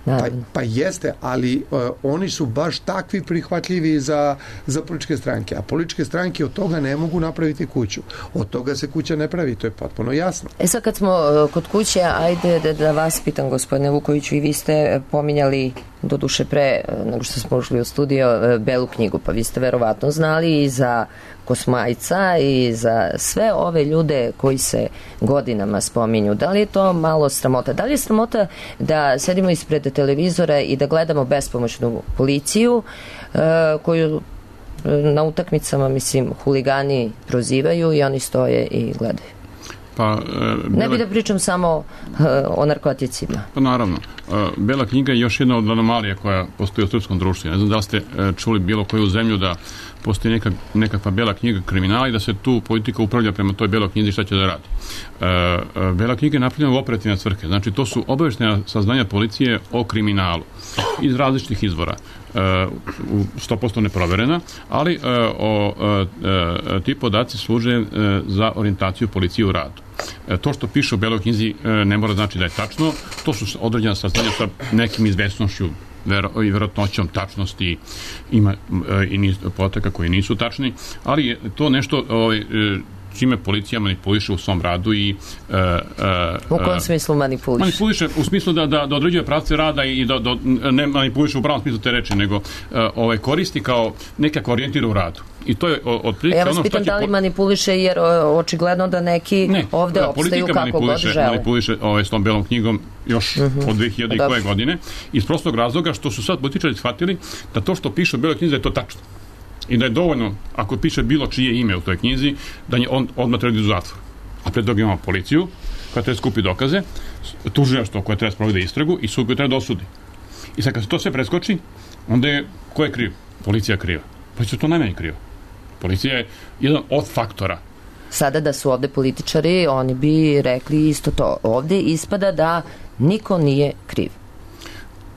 Pa, pa jeste, ali uh, oni su baš takvi prihvatljivi za, za političke stranke, a političke stranke od toga ne mogu napraviti kuću. Od toga se kuća ne pravi, to je potpuno jasno. E sad kad smo uh, kod kuće, ajde da, da vas pitam, gospodine Vukoviću, i vi ste pominjali do duše pre nego što smo ušli u studio Belu knjigu, pa vi ste verovatno znali i za Kosmajca i za sve ove ljude koji se godinama spominju. Da li je to malo sramota? Da li je sramota da sedimo ispred televizora i da gledamo bespomoćnu policiju koju na utakmicama, mislim, huligani prozivaju i oni stoje i gledaju? Pa, e, bile... Ne bi da pričam samo e, o narkoticima. Pa naravno. Bela knjiga je još jedna od anomalija koja postoji u srpskom društvu. Ne znam da li ste čuli bilo koju zemlju da postoji neka, nekakva bela knjiga kriminala i da se tu politika upravlja prema toj beloj knjizi šta će da radi. Bela knjiga je napravljena u operativne svrhe. Znači, to su obaveštena saznanja policije o kriminalu iz različitih izvora. sto posto neproverena, ali o, ti podaci služe za orijentaciju policije u radu. To što piše u beloj knjizi ne mora znači da je tačno, to su određena saznanja sa nekim izvesnošću i verovatnoćom tačnosti, ima i niz podataka koji nisu tačni, ali je to nešto ovaj, čime policija manipuliše u svom radu i... Uh, uh, u kojem smislu manipuliše? Manipuliše u smislu da, da, da određuje pravce rada i da, da ne manipuliše u pravom smislu te reči, nego uh, ovaj, koristi kao nekako orijentira u radu. I to je od prilike ja vas ono pitam da li manipuliše, jer očigledno da neki ne, ovde opstaju kako god žele. Manipuliše ovaj, s tom belom knjigom još uh-huh. od dve hiljade koje godine, iz prostog razloga što su sad političari shvatili da to što piše u beloj knjizi je to tačno. I da je dovoljno, ako piše bilo čije ime u toj knjizi, da je on odmah treba u zatvor. A pred toga imamo policiju, koja treba skupi dokaze, tužilaštvo koje treba sprovede istragu i sud koji treba da osudi. I sad kad se to sve preskoči, onda je, ko je kriv? Policija je kriva. Policija je to najmanje kriva. Policija je jedan od faktora. Sada da su ovde političari, oni bi rekli isto to. Ovde ispada da niko nije kriv.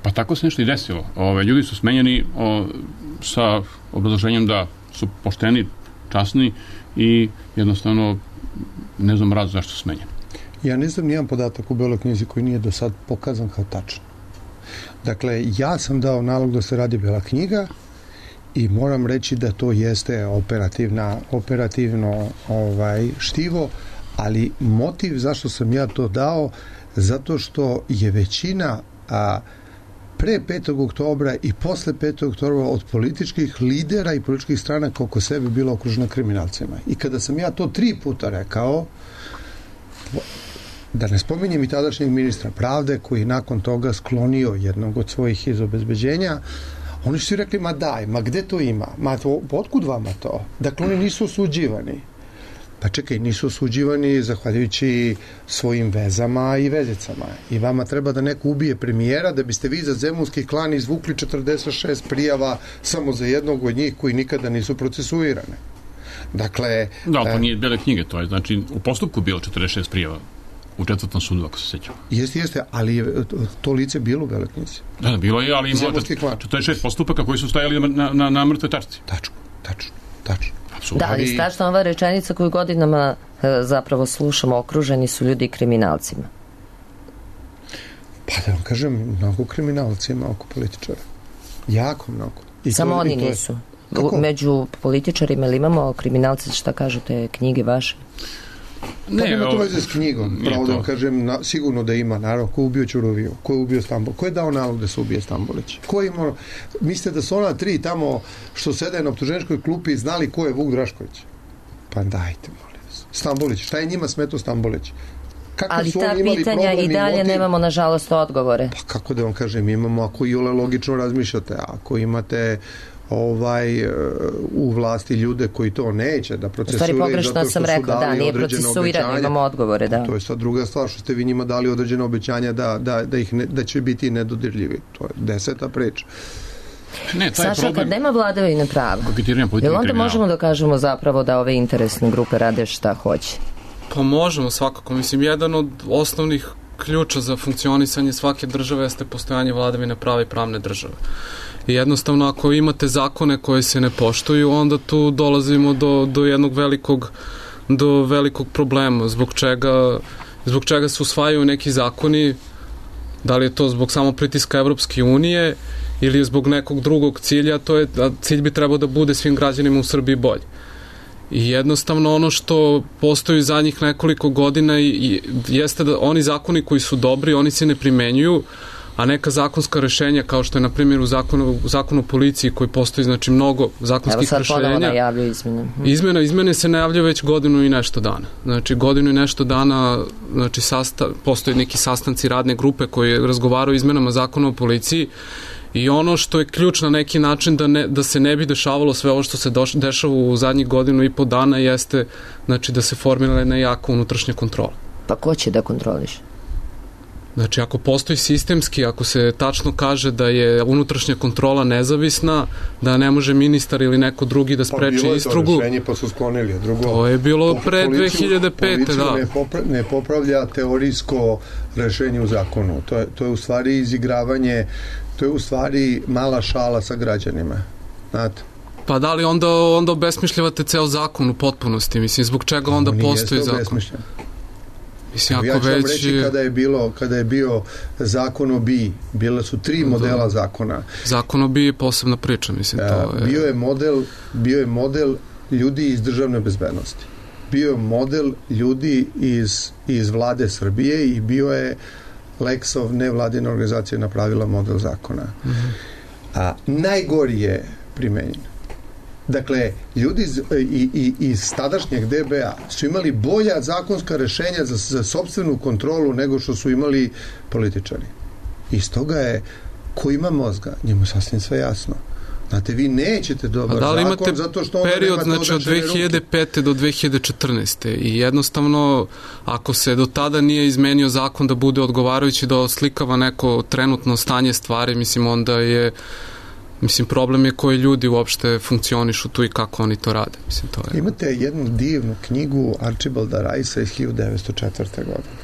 Pa tako se nešto i desilo. Ove, ljudi su smenjeni o, sa obrazloženjem da su pošteni, časni i jednostavno ne znam razlog zašto su smenjeni. Ja ne znam nijedan podatak u beloj knjizi koji nije do sad pokazan kao tačan. Dakle, ja sam dao nalog da se radi bela knjiga i moram reći da to jeste operativna, operativno ovaj, štivo, ali motiv zašto sam ja to dao, zato što je većina a, pre petog oktobra i posle petog oktobra od političkih lidera i političkih stranaka oko sebe bila okružena kriminalcima. I kada sam ja to tri puta rekao, da ne spominjem i tadašnjeg ministra pravde koji je nakon toga sklonio jednog od svojih iz obezbeđenja, oni su rekli, ma daj, ma gde to ima? Ma to, otkud vama to? Dakle, oni nisu osuđivani. Pa čekaj, nisu osuđivani zahvaljujući svojim vezama i vezicama. I vama treba da neko ubije premijera da biste vi za zemunski klan izvukli četrdeset šest prijava samo za jednog od njih koji nikada nisu procesuirane. Dakle... Da, ali to nije bele knjige, to je, znači, u postupku bilo četrdeset šest prijava. U četvrtom sudu, ako se sećam. Jeste, jeste, ali je to lice bilo u beloj knjizi. Da, da, bilo je, ali imalo četrdeset šest postupaka koji su stajali na, na, na mrtve tačci. Tačno, tačno, tačno. Da, ali strašna ova rečenica koju godinama e, zapravo slušamo, okruženi su ljudi kriminalcima. Pa da vam kažem, mnogo kriminalcima oko političara. Jako mnogo. I Samo to, oni i to nisu. U, među političarima ili imamo kriminalce, šta kažu te knjige vaše? Ne, pa nema to veze s knjigom. Pravo da vam kažem, na, sigurno da ima, naravno, ko je ubio Ćuroviju, ko je ubio Stambol, ko je dao nalog da se ubije Stambolić? Ko je imao, mislite da su ona tri tamo što sede na optuženičkoj klupi znali ko je Vuk Drašković? Pa dajte, molim vas. Stambolić, šta je njima smetao Stambolić? Kako ali ta pitanja i dalje motiv? Nemamo, nažalost, odgovore. Pa kako da vam kažem, imamo, ako i ole logično razmišljate, ako imate ovaj u vlasti ljude koji to neće da procesuiraju. U stvari pogrešno sam rekla, da, nije procesuirano, imamo odgovore, da. To je sad druga stvar, što ste vi njima dali određene obećanja da, da, da, ih ne, da će biti nedodirljivi. To je deseta priča. Ne, taj Saša, problem... kad nema vladavine prava, jel onda možemo da kažemo zapravo da ove interesne grupe rade šta hoće? Pa možemo svakako. Mislim, jedan od osnovnih ključa za funkcionisanje svake države jeste postojanje vladavine prava i pravne države. I jednostavno, ako imate zakone koje se ne poštuju, onda tu dolazimo do, do jednog velikog, do velikog problema. Zbog čega, zbog čega se usvajaju neki zakoni, da li je to zbog samo pritiska Evropske unije ili je zbog nekog drugog cilja, to je, a cilj bi trebao da bude svim građanima u Srbiji bolje. I jednostavno ono što postoji zadnjih nekoliko godina i, i jeste da oni zakoni koji su dobri, oni se ne primenjuju, a neka zakonska rešenja, kao što je na primjer u zakonu, u zakonu o policiji koji postoji, znači mnogo zakonskih rešenja. Evo sad ponovo najavljaju izmene. Izmena, izmene se najavljaju već godinu i nešto dana. Znači godinu i nešto dana, znači sasta, postoji neki sastanci radne grupe koji razgovaraju o izmenama zakona o policiji i ono što je ključ na neki način da, ne, da se ne bi dešavalo sve ovo što se doš, dešava u zadnjih godinu i po dana jeste, znači da se formira jedna jaka unutrašnja kontrola. Pa ko će da kontroliš? Znači, ako postoji sistemski, ako se tačno kaže da je unutrašnja kontrola nezavisna, da ne može ministar ili neko drugi da spreči istrugu... Pa bilo je to rešenje, pa su sklonili. Drugo, to je bilo pre dve hiljade pete. Da. Ne, popra, ne popravlja teorijsko rešenje u zakonu. To je, to je u stvari izigravanje, to je u stvari mala šala sa građanima. Znate? Pa da li onda, onda obesmišljavate ceo zakon u potpunosti? Mislim, zbog čega onda On postoji zakon? Obesmišljen. Mislim, ako ja ću vam već... reći kada je, bilo, kada je bio zakon o B I, bile su tri modela zakona. Zakon o B I je posebna priča, mislim. To je... Bio je model, bio je model ljudi iz državne bezbednosti. Bio je model ljudi iz, iz vlade Srbije i bio je Lexov, nevladina organizacija, napravila model zakona. Mm-hmm. A najgori je primenjen. Dakle, ljudi iz, i, i, iz tadašnjeg D B A su imali bolja zakonska rešenja za, za sopstvenu kontrolu nego što su imali političari. I stoga je, ko ima mozga, njemu sasvim sve jasno. Znate, vi nećete dobar da li zakon zato što period, znači, od dve hiljade pete do dve hiljade četrnaeste i jednostavno, ako se do tada nije izmenio zakon da bude odgovarajući, da oslikava neko trenutno stanje stvari, mislim, onda je Mislim, problem je koji ljudi uopšte funkcionišu tu i kako oni to rade. Mislim, to je... Imate jednu divnu knjigu Archibalda Ricea iz hiljadu devetsto četvrte. godine.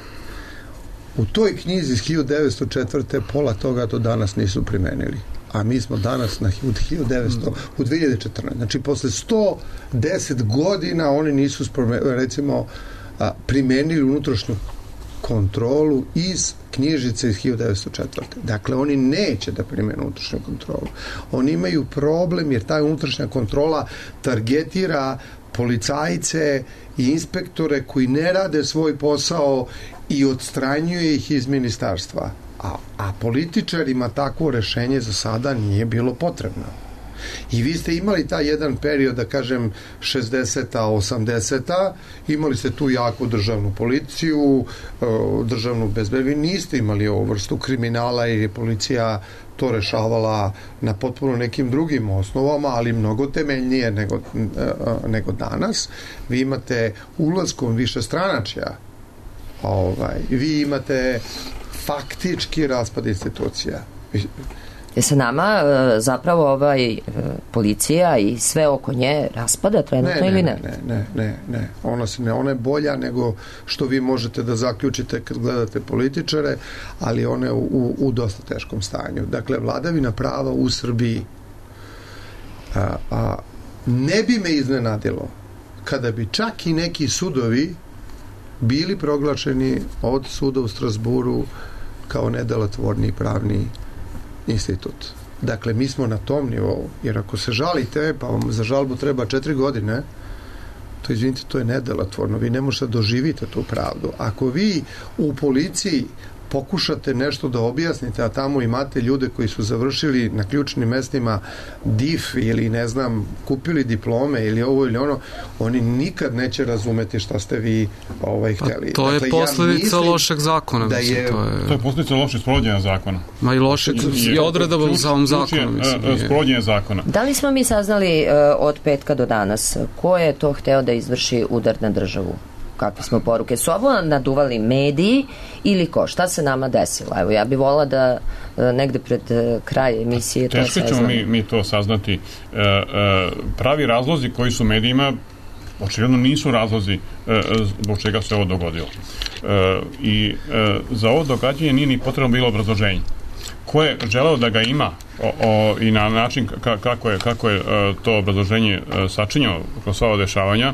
U toj knjizi iz hiljadu devetsto četvrte pola toga do danas nisu primenili. A mi smo danas na hiljadu devetsto, u dve hiljade četrnaeste. Znači, posle sto deset godina oni nisu, recimo, primenili unutrašnju kontrolu iz knjižice iz hiljadu devetsto četvrte. Dakle, oni neće da primenu unutrašnju kontrolu. Oni imaju problem jer ta unutrašnja kontrola targetira policajce i inspektore koji ne rade svoj posao i odstranjuje ih iz ministarstva. A, a političarima takvo rešenje za sada nije bilo potrebno. I vi ste imali taj jedan period, da kažem, šezdeseta, osamdeseta, imali ste tu jaku državnu policiju, državnu bezbednost, vi niste imali ovu vrstu kriminala jer je policija to rešavala na potpuno nekim drugim osnovama, ali mnogo temeljnije nego, nego danas. Vi imate ulaskom više stranačja, ovaj, vi imate faktički raspad institucija. Je se nama zapravo ovaj policija i sve oko nje raspada trenutno ne, ili ne? Ne, ne, ne, ne, ne. Ona, se ne, ona je bolja nego što vi možete da zaključite kad gledate političare, ali ona je u, u, u dosta teškom stanju. Dakle, vladavina prava u Srbiji a, a, ne bi me iznenadilo kada bi čak i neki sudovi bili proglašeni od suda u Strasburu kao nedelotvorni pravni institut. Dakle, mi smo na tom nivou, jer ako se žalite, pa vam za žalbu treba četiri godine, to, izvinite, to je nedelotvorno. Vi ne možete da doživite tu pravdu. Ako vi u policiji pokušate nešto da objasnite, a tamo imate ljude koji su završili na ključnim mestima D I F ili, ne znam, kupili diplome ili ovo ili ono, oni nikad neće razumeti šta ste vi ovaj, hteli. Pa to je dakle, posledica ja lošeg zakona. Da mislim, je... To je... to je posledica lošeg sprovođenja zakona. Ma i lošeg je odredaba u samom zakonu. Sprovođenje zakona. Da li smo mi saznali uh, od petka do danas ko je to hteo da izvrši udar na državu? Kakve smo poruke? Su ovo naduvali mediji ili ko? Šta se nama desilo? Evo, ja bih volila da negde pred kraj emisije to saznamo. Teško ćemo mi, mi to saznati. E, e, pravi razlozi koji su medijima očigledno nisu razlozi e, zbog čega se ovo dogodilo. E, I e, za ovo događanje nije ni potrebno bilo obrazloženje. Ko je želeo da ga ima o, o, i na način ka, kako je, kako je o, to obrazloženje o, sačinjao kroz sva ova dešavanja,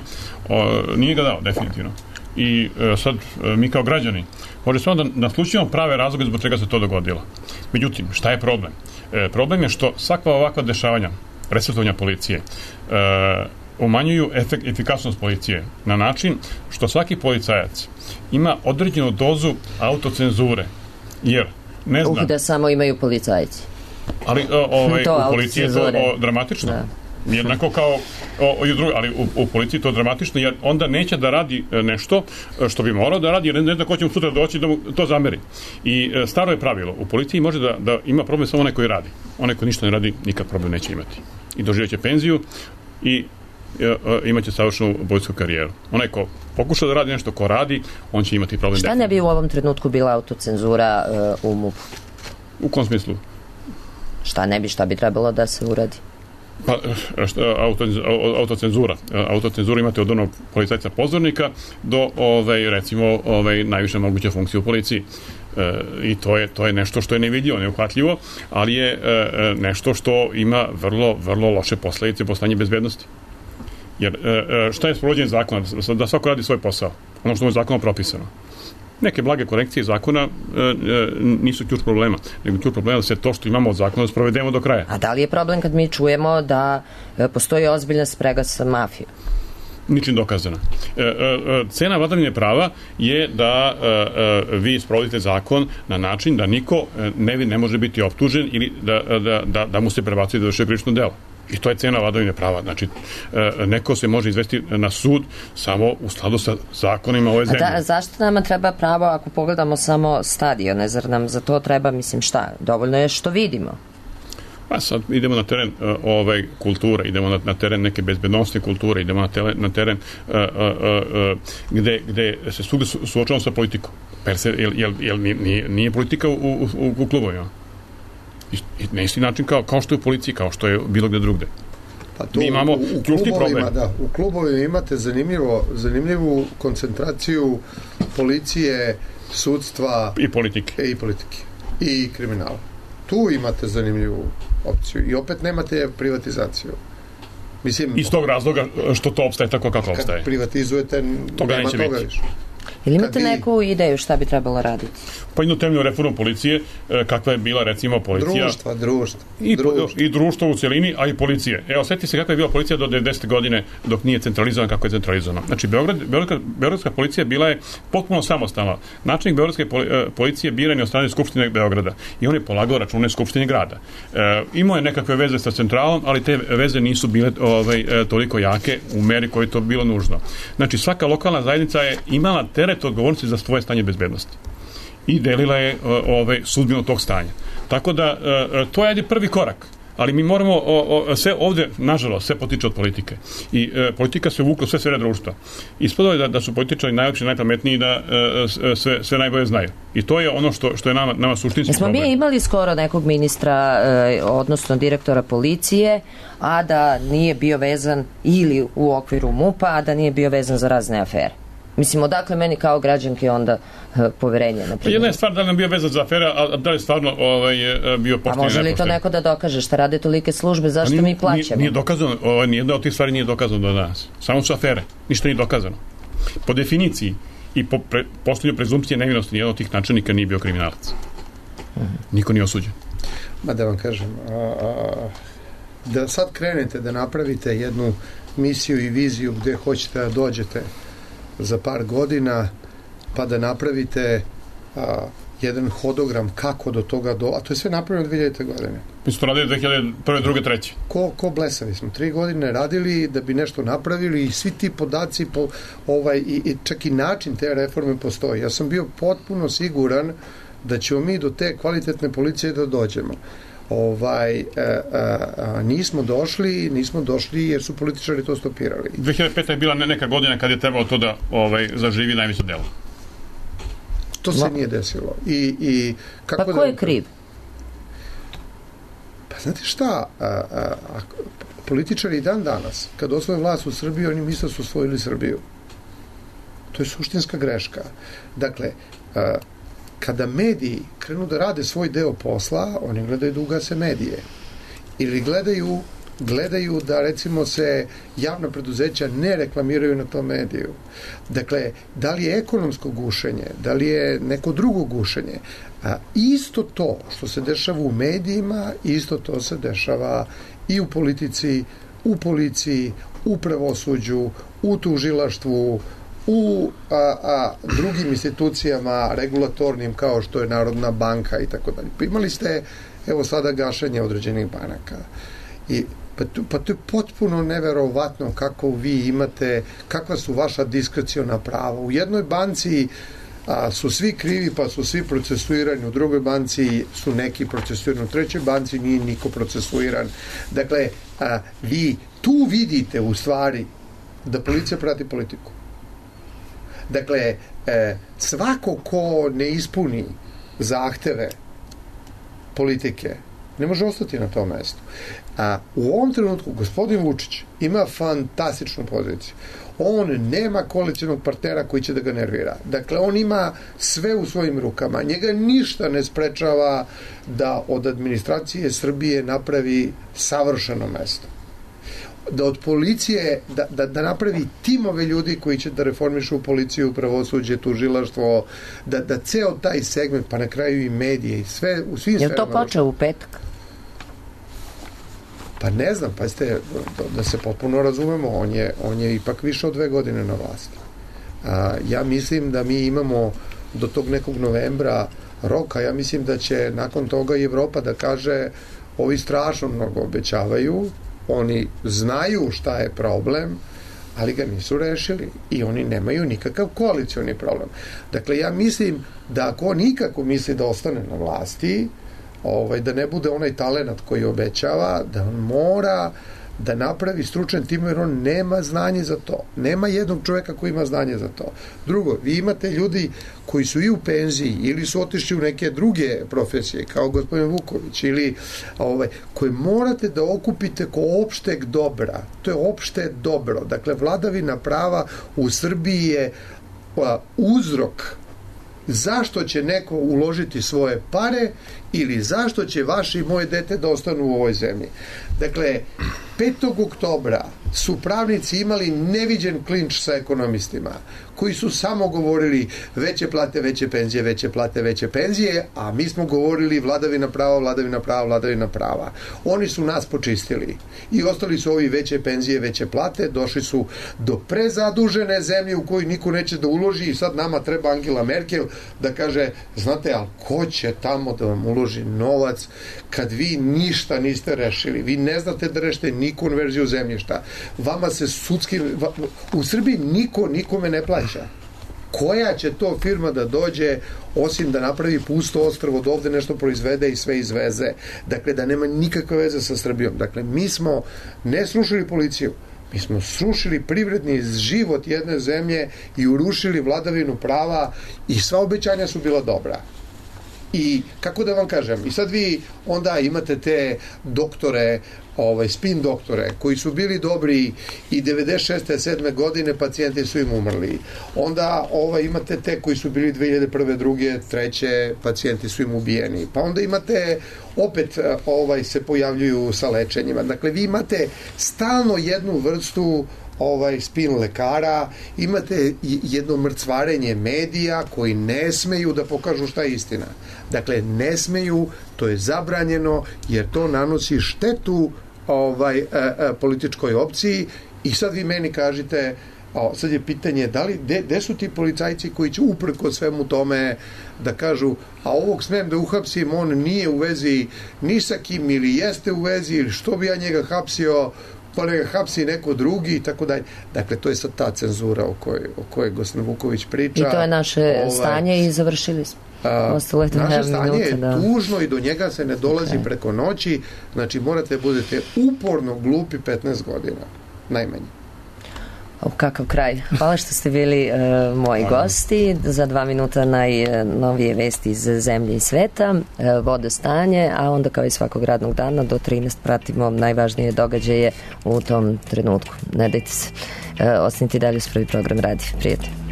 o, nije ga dao definitivno. I o, sad o, mi kao građani može samo da naslučimo prave razloge zbog čega se to dogodilo. Međutim, šta je problem? E, problem je što svakva ovakva dešavanja, presvetovanja policije, e, umanjuju efek, efikasnost policije na način što svaki policajac ima određenu dozu autocenzure, jer ne znam. Uh, da samo imaju policajci. Ali o, ovaj, u policiji je to o, dramatično. Da. Jednako kao o, o, drugi, ali u, u policiji to dramatično, jer onda neće da radi nešto što bi morao da radi, jer ne zna ko će mu sutra doći da mu to zameri. I e, staro je pravilo. U policiji može da, da ima problem samo onaj koji radi. Onaj koji ništa ne radi, nikak problem neće imati. I doživjet će penziju i imaće savršenu policijsku karijeru. Onaj ko pokuša da radi nešto, ko radi, on će imati problem. Šta ne bi u ovom trenutku bila autocenzura uh, u MUP-u? U kom smislu? Šta ne bi, šta bi trebalo da se uradi? Pa, šta, auto, autocenzura. Autocenzura imate od onog policajca pozornika do, ovaj, recimo, ovaj, najviše moguće funkcije u policiji. E, I to je, to je nešto što je nevidljivo, neuhvatljivo, ali je e, nešto što ima vrlo, vrlo loše posledice po stanje bezbednosti. Jer e, šta je sprovođenje zakona? Da svako radi svoj posao. Ono što je zakonom propisano. Neke blage korekcije zakona e, e, nisu ključ problema, nego ključ problema da se to što imamo od zakona sprovedemo do kraja. A da li je problem kad mi čujemo da e, postoji ozbiljna sprega sa mafijom? Ničim dokazana. E, e, cena vladavine prava je da e, e, vi sprovodite zakon na način da niko ne, ne može biti optužen ili da, da, da, da mu se prebacuje da vrši krivično delo. I to je cena vladavine prava. Znači, e, neko se može izvesti na sud samo u skladu sa zakonima ove zemlje. A da, zašto nama treba pravo ako pogledamo samo stadione? Zar nam za to treba, mislim, šta? Dovoljno je što vidimo. Pa sad idemo na teren uh, ovaj, kulture, idemo na, na teren neke bezbednostne kulture, idemo na, tele, na teren uh, uh, uh, gde, gde se svugde su, suočavamo sa politikom. Per se, jel, jel, jel nije, nije politika u, u, u klubovima? I, i na isti način kao, kao što je u policiji, kao što je bilo gde drugde. Pa to mi imamo u, u ključni problem. Da, u klubovima imate zanimljivo, zanimljivu koncentraciju policije, sudstva i politike. I politike. I kriminala. Tu imate zanimljivu opciju. I opet nemate privatizaciju. Mislim, iz tog razloga što to opstaje tako kako opstaje. Kad privatizujete, toga nema toga biti. više. Ili imate vi... neku ideju šta bi trebalo raditi? Pa jednu temeljnu reformu policije, kakva je bila recimo policija. Društva, društva. I, društva. I društvo u cijelini, a i policije. Evo, sjetite se kakva je bila policija do devedesete godine dok nije centralizovana kako je centralizovana. Znači, Beograd, Beogradska, Beogradska policija bila je potpuno samostalna. Načelnik Beogradske policije biran je od strane Skupštine Beograda i on je polagao račune Skupštine grada. E, imao je nekakve veze sa centralom, ali te veze nisu bile ovaj, toliko jake u meri koje je to bilo nužno. Znači, svaka lokalna zajednica je imala teret odgovornosti za svoje stanje bezbednosti i delila je ovaj, sudbinu tog stanja. Tako da, to je prvi korak. Ali mi moramo, o, o, sve ovde, nažalost, sve potiče od politike. I e, politika se uvukla sve sfere društva. Ispodalo je da, da su političari najlepši, najpametniji i da e, sve, sve najbolje znaju. I to je ono što, što je nama, nama suštinski Jesmo problem. Mi imali skoro nekog ministra, e, odnosno direktora policije, a da nije bio vezan ili u okviru MUP-a, a da nije bio vezan za razne afere. Mislim, odakle meni kao građanke onda uh, poverenje? Pa jedna je stvar da li nam bio vezan za afere, a da li je stvarno ovaj, bio pošten. A može li to neko da dokaže? Šta rade tolike službe? Zašto nije, mi plaćamo? Nije, nije dokazano. Ovaj, nijedna od tih stvari nije dokazano do danas. Samo su afere. Ništa nije dokazano. Po definiciji i po pre, postojanju prezumpcije nevinosti nijedan od tih načelnika nije bio kriminalac. Hmm. Niko nije osuđen. Ma da vam kažem, a, a, da sad krenete da napravite jednu misiju i viziju gde hoćete da dođete za par godina, pa da napravite a, jedan hodogram kako do toga do... A to je sve napravljeno dve hiljadite godine. Mi smo to radili dve hiljade prve, druge, treće. Ko, ko blesavi smo. Tri godine radili da bi nešto napravili i svi ti podaci po, ovaj, i, i čak i način te reforme postoji. Ja sam bio potpuno siguran da ćemo mi do te kvalitetne policije da dođemo. Ovaj, a, a, a, nismo došli nismo došli jer su političari to stopirali. dve hiljade peta je bila neka godina kad je trebalo to da ovaj, zaživi najveće delo. To se no. nije desilo. I, i kako pa ko da... je kriv? Pa znate šta, a, a, a, političari dan danas, kad osvoje vlast u Srbiji, oni misle su osvojili Srbiju. To je suštinska greška. Dakle, a, kada mediji krenu da rade svoj deo posla, oni gledaju da ugase medije. Ili gledaju, gledaju da, recimo, se javna preduzeća ne reklamiraju na tom mediju. Dakle, da li je ekonomsko gušenje, da li je neko drugo gušenje, a isto to što se dešava u medijima, isto to se dešava i u politici, u policiji, u pravosuđu, u tužilaštvu, u a, a, drugim institucijama regulatornim kao što je Narodna banka i tako dalje. Pa imali ste, evo sada, gašenje određenih banaka. I, pa, to, pa to je potpuno neverovatno kako vi imate, kakva su vaša diskreciona prava. U jednoj banci a, su svi krivi, pa su svi procesuirani u drugoj banci, su neki procesuirani u trećoj banci, nije niko procesuiran. Dakle, a, vi tu vidite u stvari da policija prati politiku. Dakle, e, svako ko ne ispuni zahteve politike ne može ostati na tom mestu. A u ovom trenutku gospodin Vučić ima fantastičnu poziciju. On nema koalicionog partnera koji će da ga nervira. Dakle, on ima sve u svojim rukama. Njega ništa ne sprečava da od administracije Srbije napravi savršeno mesto. Da od policije, da, da, da napravi timove ljudi koji će da reformišu policiju, pravosuđe, tužilaštvo, da, da ceo taj segment, pa na kraju i medije i sve, u svim sferama. Je to počeo u petak? Pa ne znam, pa ste, da se potpuno razumemo, on je, on je ipak više od dve godine na vlasti. A, ja mislim da mi imamo do tog nekog novembra roka, ja mislim da će nakon toga i Evropa da kaže ovi strašno mnogo obećavaju, oni znaju šta je problem, ali ga nisu rešili i oni nemaju nikakav koalicioni problem. Dakle, ja mislim da ako nikako misli da ostane na vlasti, ovaj, da ne bude onaj talenat koji obećava, da on mora da napravi stručan tim, jer on nema znanje za to. Nema jednog čoveka koji ima znanje za to. Drugo, vi imate ljudi koji su i u penziji ili su otišli u neke druge profesije, kao gospodin Vuković, ili ovaj, koje morate da okupite ko opšteg dobra. To je opšte dobro. Dakle, vladavina prava u Srbiji je pa, uzrok zašto će neko uložiti svoje pare ili zašto će vaše i moje dete da ostanu u ovoj zemlji. Dakle, petog oktobra su pravnici imali neviđen klinč sa ekonomistima, koji su samo govorili veće plate, veće penzije, veće plate, veće penzije, a mi smo govorili vladavina prava, vladavina prava, vladavina prava. Oni su nas počistili i ostali su ovi veće penzije, veće plate, došli su do prezadužene zemlje u koju niko neće da uloži i sad nama treba Angela Merkel da kaže, znate, ali ko će tamo da vam uloži novac kad vi ništa niste rešili, vi ne znate da rešite ni konverziju zemljišta, vama se sudski, u Srbiji niko nikome ne plaća. Koja će to firma da dođe osim da napravi pusto ostrvo, da ovde nešto proizvede i sve izveze, dakle da nema nikakve veze sa Srbijom. Dakle, mi smo ne srušili policiju, mi smo srušili privredni život jedne zemlje i urušili vladavinu prava i sva obećanja su bila dobra. I kako da vam kažem, i sad vi onda imate te doktore, ovaj, spin doktore, koji su bili dobri i devedeset šeste sedme godine pacijenti su im umrli. Onda ovaj, imate te koji su bili dve hiljade prve, druge, treće, pacijenti su im ubijeni. Pa onda imate opet ovaj, se pojavljuju sa lečenjima. Dakle, vi imate stalno jednu vrstu ovaj spin lekara, imate jedno mrcvarenje medija koji ne smeju da pokažu šta je istina. Dakle, ne smeju, to je zabranjeno, jer to nanosi štetu ovaj, e, e, političkoj opciji. I sad vi meni kažete, o, sad je pitanje, da li, gde su ti policajci koji će uprko svemu tome da kažu, a ovog smem da uhapsim, on nije u vezi ni sa kim, ili jeste u vezi, ili što bi ja njega hapsio, pa ne ga hapsi neko drugi i tako dalje. Dakle, to je sad ta cenzura o kojoj, o kojoj gospodin Vuković priča. I to je naše ovaj, stanje i završili smo. A, naše stanje minuta, je da. tužno i do njega se ne dolazi okay. preko noći. Znači, morate budete uporno glupi petnaest godina. Najmanje. O, kakav kraj. Hvala što ste bili uh, moji Hvala. gosti. Za dva minuta najnovije vesti iz zemlje i sveta, uh, vodostanje, a onda kao i svakog radnog dana do trinaest pratimo najvažnije događaje u tom trenutku. Ne dajte se. Uh, ostanite dalje uz prvi program Radi. Prijatno.